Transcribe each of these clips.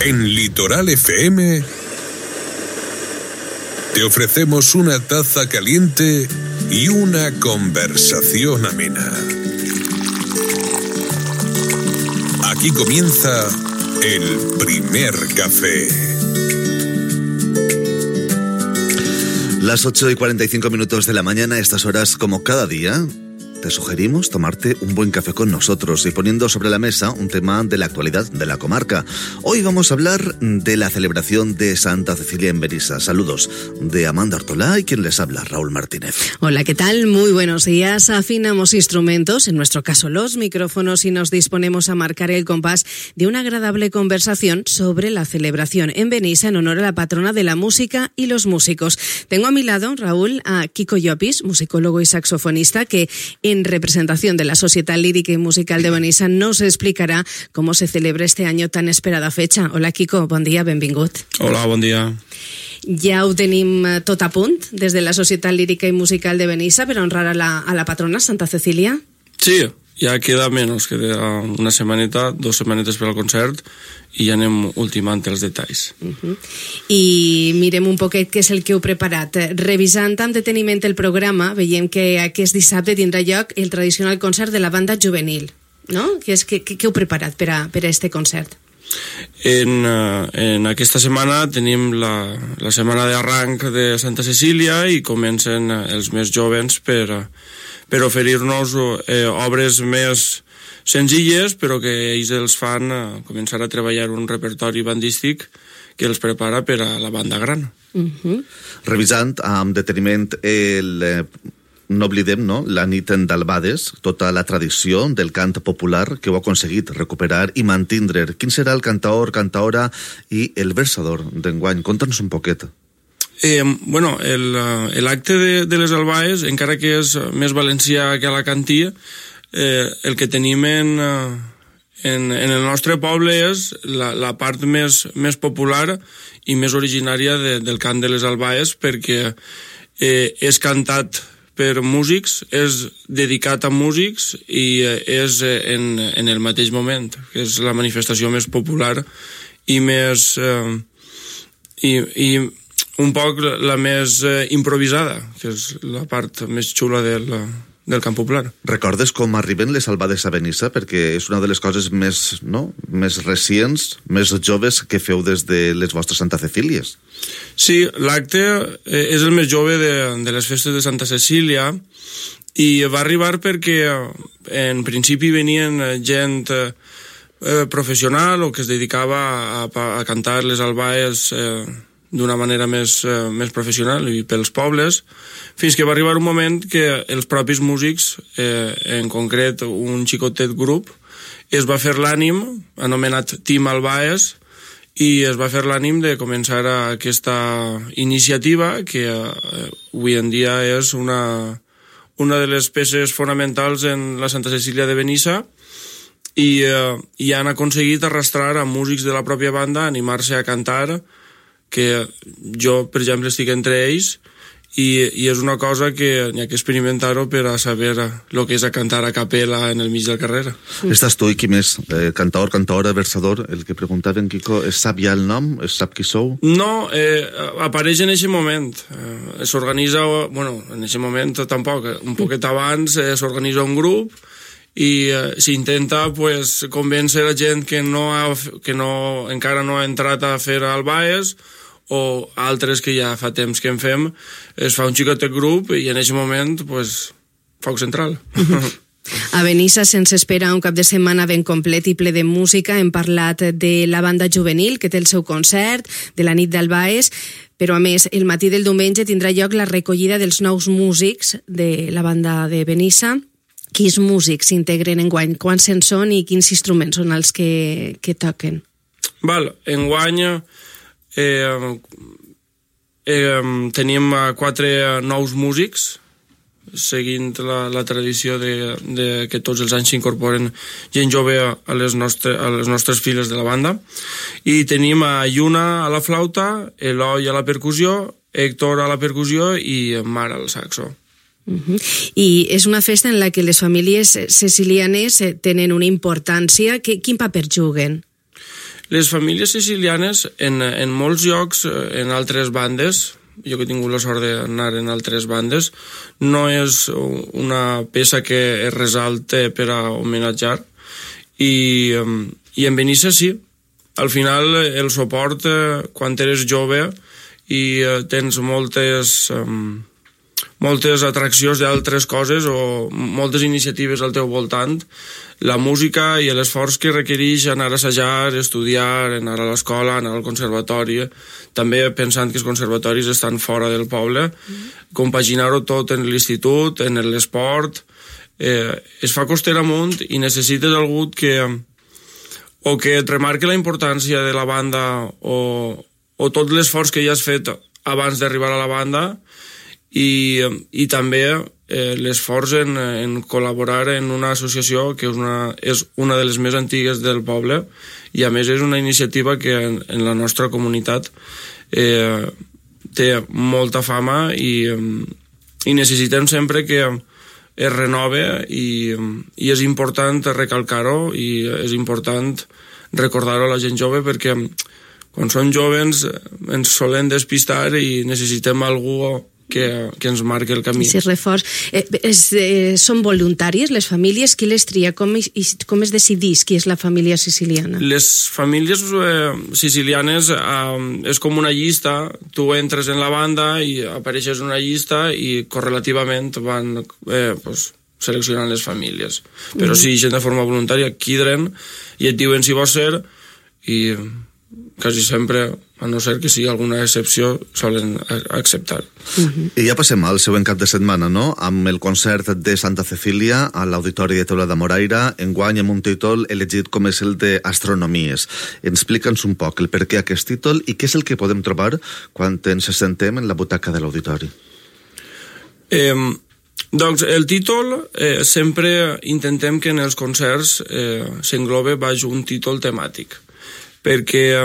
En Litoral FM te ofrecemos una taza caliente y una conversación amena. Aquí comienza el primer café. Las 8:45 de la mañana, a estas horas, como cada día, te sugerimos tomarte un buen café con nosotros y poniendo sobre la mesa un tema de la actualidad de la comarca. Hoy vamos a hablar de la celebración de Santa Cecilia en Benissa. Saludos de Amanda Ortolá y quien les habla, Raúl Martínez. Hola, ¿qué tal? Muy buenos días. Afinamos instrumentos, en nuestro caso los micrófonos, y nos disponemos a marcar el compás de una agradable conversación sobre la celebración en Benissa en honor a la patrona de la música y los músicos. Tengo a mi lado, Raúl, a Kiko Llopis, musicólogo y saxofonista, que en representación de la Societat Lírica y Musical de Benissa nos explicarà cómo se celebra este año tan esperada fecha. Hola, Kiko, bon dia, benvingut. Hola, bon dia. Ja ho tenim tot a punt des de la Societat Lírica i Musical de Benissa per honrar a la patrona Santa Cecília? Sí, ja queda menys, queda una setmaneta, 2 setmanetes per al concert i ja anem ultimant els detalls. I mirem un poquet què és el que heu preparat. Revisant amb deteniment el programa, veiem que aquest dissabte tindrà lloc el tradicional concert de la banda juvenil, no? Què heu preparat per a este concert? En aquesta setmana tenim la setmana d'arranc de Santa Cecília i comencen els més joves per oferir-nos obres més senzilles, però que ells els fan començar a treballar un repertori bandístic que els prepara per a la banda gran. Revisant amb deteniment no oblidem, no?, la nit d'Albades, tota la tradició del cant popular que heu aconseguit recuperar i mantindre. Quin serà el cantaor, cantaora i el versador d'enguany? Conta'ns un poquet. Bueno, l'acte de les Albades, encara que és més valencià que alacantí, el que tenim en el nostre poble és la part més popular i més originària del cant de les Albades, perquè és cantat per músics, és dedicat a músics i és en el mateix moment, que és la manifestació més popular i més i un poc la més improvisada, que és la part més xula del cant popular. Recordes com arriben les Albades a Benissa? Perquè és una de les coses més recents, més joves que feu des de les vostres Santa Cecílies. Sí, l'acte és el més jove de les festes de Santa Cecília i va arribar perquè en principi venien gent professional o que es dedicava a cantar les albades d'una manera més professional i pels pobles, fins que va arribar un moment que els propis músics, en concret un xicotet grup, es va fer l'ànim, anomenat Team Albaes, i es va fer l'ànim de començar aquesta iniciativa que avui en dia és una de les peces fonamentals en la Santa Cecília de Benissa i han aconseguit arrastrar a músics de la pròpia banda, animar-se a cantar, que jo, per exemple, estic entre ells i és una cosa que n'hi ha que experimentar-ho per a saber el que és a cantar a capella en el mig del carrer. Estàs tu i qui més? Cantaor, cantaora, versador? El que preguntaven, Kiko, es sap ja el nom? Es sap qui sou? No, apareix en aquest moment. S'organitza, bueno, en aquest moment tampoc, un poquet abans s'organitza un grup i s'intenta convèncer a gent que encara no ha entrat a fer albaes o altres que ja fa temps que en fem. Es fa un xicotet grup i en aquest moment foc central. A Benissa se'ns espera un cap de setmana ben complet i ple de música. Hem parlat de la banda juvenil que té el seu concert, de la nit d'Albaes, però a més el matí del diumenge tindrà lloc la recollida dels nous músics de la banda de Benissa. Quins músics s'integren enguany? Quants en són i quins instruments són els que toquen? Enguany tenim 4 nous músics, seguint la tradició de que tots els anys s'incorporen gent jove a les nostres files de la banda. I tenim a Lluna a la flauta, Eloi a la percussió, Héctor a la percussió i Mar al saxo. I és una festa en la que les famílies cecilianes tenen una importància. Quin paper juguen? Les famílies sicilianes, en molts llocs, en altres bandes, jo que he tingut la sort d'anar en altres bandes, no és una peça que es resalte per a homenatjar, i en Benissa sí. Al final el suport, quan eres jove i tens moltes atraccions d'altres coses o moltes iniciatives al teu voltant, la música i l'esforç que requereix anar a assajar, estudiar, anar a l'escola, anar al conservatori, també pensant que els conservatoris estan fora del poble, compaginar-ho tot en l'institut, en l'esport, es fa costera amunt i necessites algú que et remarqui la importància de la banda o tot l'esforç que ja has fet abans d'arribar a la banda, i també l'esforç en col·laborar en una associació que és una de les més antigues del poble, i a més és una iniciativa que en la nostra comunitat té molta fama, i necessitem sempre que es renove, i és important recalcar-ho, i és important recordar-ho a la gent jove, perquè quan són joves ens solen despistar i necessitem algú que ens marqui el camí. Sí, reforç. Són voluntàries les famílies? Qui les tria? Com es decidís qui és la família siciliana? Les famílies sicilianes és com una llista. Tu entres en la banda i apareixes en una llista i correlativament van seleccionant les famílies. Però si gent de forma voluntària quidren i et diuen si vols ser, i quasi sempre, a no ser que sigui alguna excepció, solen acceptar. I ja passem al següent cap de setmana, no? Amb el concert de Santa Cecília a l'Auditori de Teula de Moraira, enguany amb un títol elegit com és el d'Astronomies. Explica'ns un poc el per què aquest títol i què és el que podem trobar quan ens assentem en la butaca de l'auditori. Doncs el títol, sempre intentem que en els concerts s'englobe baix un títol temàtic, perquè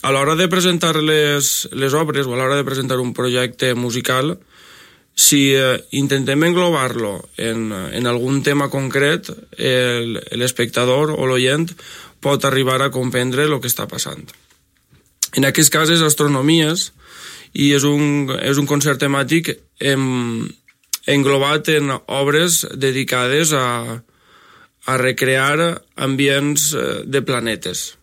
a l'hora de presentar les obres o a l'hora de presentar un projecte musical, si intentem englobar-lo en algun tema concret, l'espectador o l'oient pot arribar a comprendre el que està passant. En aquest cas és Astronomies, i és un concert temàtic englobat en obres dedicades a recrear ambients de planetes.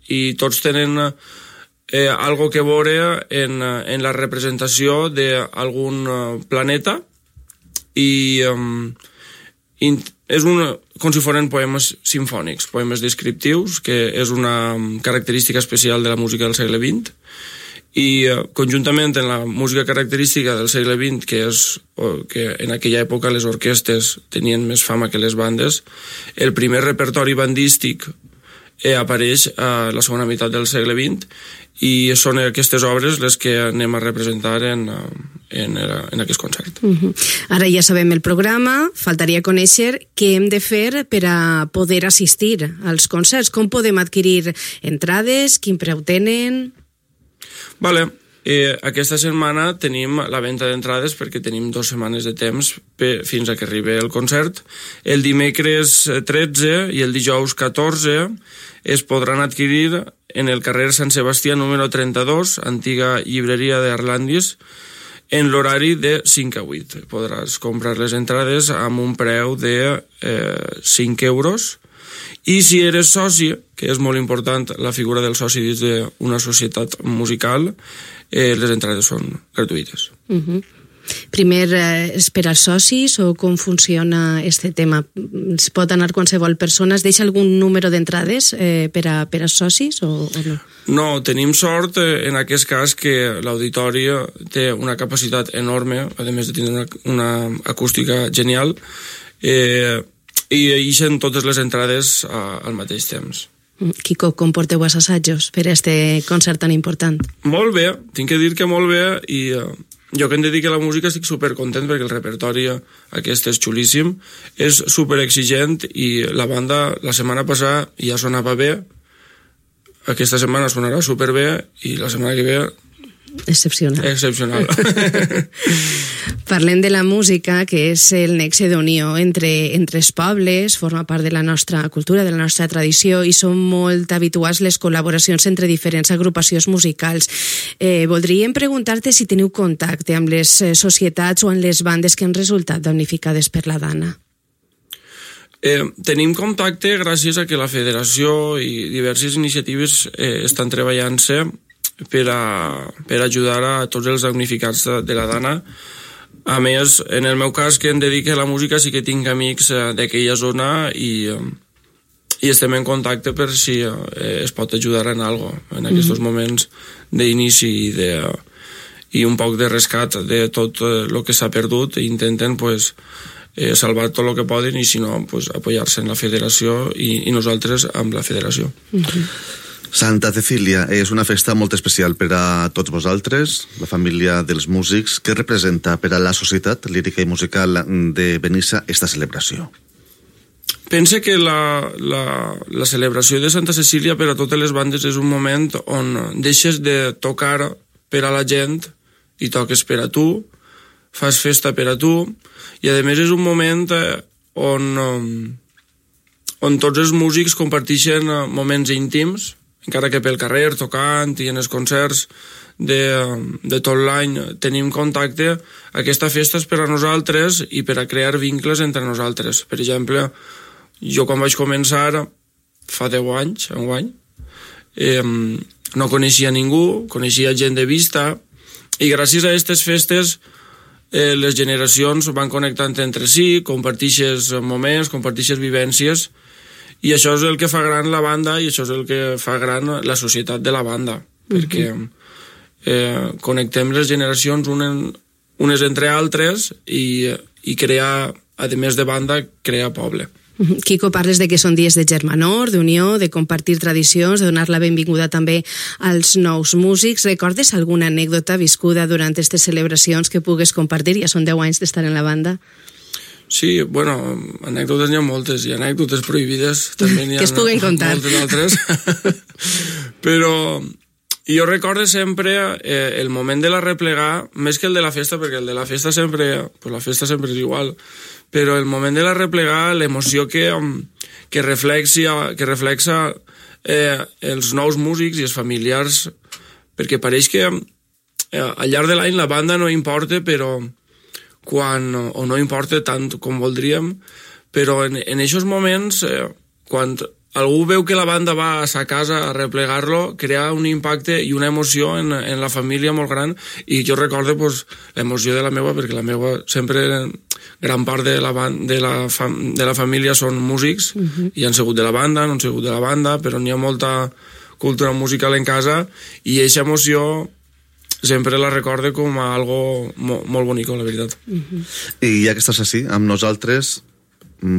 I tots tenen algo que veure en la representació d'algun planeta, i és com si foren poemes simfònics, poemes descriptius, que és una característica especial de la música del segle XX, i conjuntament amb la música característica del segle XX, que en aquella època les orquestes tenien més fama que les bandes, el primer repertori bandístic apareix a la segona meitat del segle XX, i són aquestes obres les que anem a representar en aquest concert. Ara ja sabem el programa, faltaria conèixer què hem de fer per a poder assistir als concerts. Com podem adquirir entrades? Quin preu tenen? Vale. Aquesta setmana tenim la venda d'entrades perquè tenim 2 setmanes de temps fins a que arribi el concert. El dimecres 13 i el dijous 14 es podran adquirir en el carrer Sant Sebastià número 32, antiga llibreria d'Arlandis, en l'horari de 5 a 8. Podràs comprar les entrades amb un preu de 5 euros. I si eres soci, que és molt important la figura del soci dins d'una societat musical, les entrades són gratuïtes. Primer és per als socis, o com funciona aquest tema? Es pot anar qualsevol persona? Es deixa algun número d'entrades per als socis o no? No, tenim sort en aquest cas que l'auditori té una capacitat enorme, a més de tenir una acústica genial, i eixen totes les entrades al mateix temps. Quico, com porteu els assajos per a aquest concert tan important? Molt bé, tinc que dir que molt bé, i jo que em dedico a la música estic supercontent perquè el repertori aquest és xulíssim, és superexigent, i la banda la setmana passada ja sonava bé, aquesta setmana sonarà superbé, i la setmana que ve Excepcional. Parlem de la música, que és el nexe d'unió entre els pobles, forma part de la nostra cultura, de la nostra tradició, i són molt habituals les col·laboracions entre diferents agrupacions musicals. Voldríem preguntar-te si teniu contacte amb les societats o amb les bandes que han resultat damnificades per la dana. Tenim contacte gràcies a que la federació i diverses iniciatives estan treballant-se per ajudar a tots els damnificats de la dana. A més, en el meu cas, que em dedico a la música, sí que tinc amics d'aquella zona i estem en contacte per si es pot ajudar en algo en aquests moments d'inici i un poc de rescat de tot el que s'ha perdut, i intenten salvar tot el que poden, i si no, apoyar-se en la federació i nosaltres amb la federació. Santa Cecília és una festa molt especial per a tots vosaltres, la família dels músics. Què representa per a la societat lírica i musical de Benissa esta celebració? Pense que la celebració de Santa Cecília per a totes les bandes és un moment on deixes de tocar per a la gent i toques per a tu, fas festa per a tu, i a més és un moment on tots els músics comparteixen moments íntims, encara que pel carrer, tocant, i en els concerts de tot l'any tenim contacte. Aquesta festa és per a nosaltres i per a crear vincles entre nosaltres. Per exemple, jo quan vaig començar fa 10 anys, enguany, no coneixia ningú, coneixia gent de vista, i gràcies a aquestes festes les generacions van connectant entre si, comparteixes moments, comparteixes vivències, i això és el que fa gran la banda, i això és el que fa gran la societat de la banda, perquè connectem les generacions unes entre altres i crear, a més de banda, crear poble. Quico, parles de que són dies de germanor, d'unió, de compartir tradicions, de donar la benvinguda també als nous músics. Recordes alguna anècdota viscuda durant aquestes celebracions que pugues compartir? Ja són 10 anys d'estar en la banda. Sí, bueno, anècdotes n'hi ha moltes, i anècdotes prohibides també n'hi ha que es puguen contar. Moltes altres. Però jo recorde sempre el moment de la replegar, més que el de la festa, perquè el de la festa sempre, la festa sempre és igual, però el moment de la replegar, l'emoció que reflexa els nous músics i els familiars, perquè pareix que al llarg de l'any la banda no importa, però o no importa tant com voldríem, però en aquests moments, quan algú veu que la banda va a sa casa a replegar-lo, crea un impacte i una emoció en la família molt gran, i jo recordo l'emoció de la meva, perquè la meva sempre, gran part de la família són músics, i han sigut de la banda, no han sigut de la banda, però n'hi ha molta cultura musical en casa, i aquesta emoció sempre la recorde com a algo molt bonic, la veritat. I ja que estàs així amb nosaltres,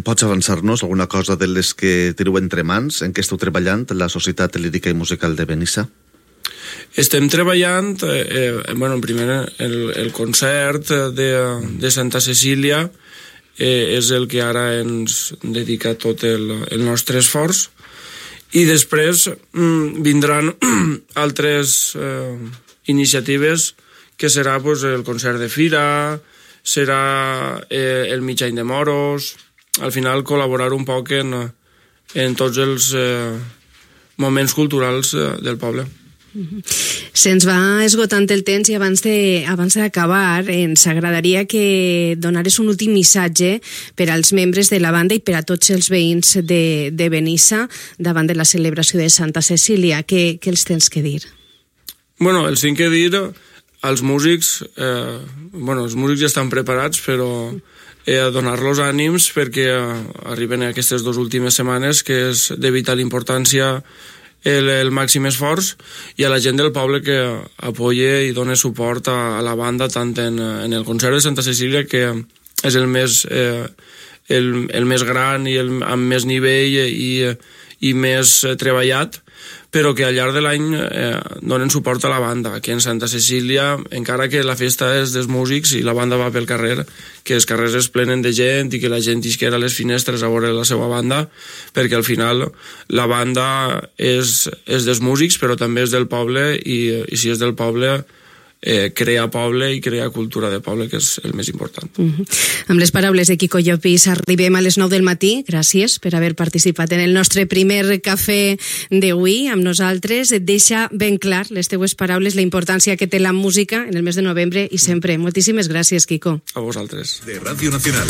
pots avançar-nos alguna cosa de les que teniu entre mans, en què esteu treballant, la Societat Lírica i Musical de Benissa? Estem treballant, primer el concert de Santa Cecília és el que ara ens dedica tot el nostre esforç, i després vindran altres iniciatives, que serà el concert de fira, serà el mig any de moros, al final col·laborar un poc en tots els moments culturals del poble. Se'ns va esgotant el temps, i abans d'acabar ens agradaria que donares un últim missatge per als membres de la banda i per a tots els veïns de Benissa davant de la celebració de Santa Cecília. Què els tens que dir? Bueno, els tinc que dir als músics, els músics ja estan preparats, però a donar-los ànims perquè arriben aquestes 2 últimes setmanes, que és de vital importància el màxim esforç, i a la gent del poble que apoya i dona suport a la banda, tant en el concert de Santa Cecília, que és el més gran i amb més nivell i més treballat, però que al llarg de l'any donen suport a la banda, que en Santa Cecília, encara que la festa és dels músics i la banda va pel carrer, que els carrers es plenen de gent i que la gent isquera a les finestres a veure la seva banda, perquè al final la banda és dels músics, però també és del poble, i si és del poble crear poble i crear cultura de poble, que és el més important. Amb les paraules de Quico Llopis arribem a les 9 del matí. Gràcies per haver participat en el nostre primer cafè d'avui amb nosaltres. Et deixa ben clar les teues paraules, la importància que té la música en el mes de novembre i sempre. Moltíssimes gràcies, Quico. A vosaltres. De Radio Nacional.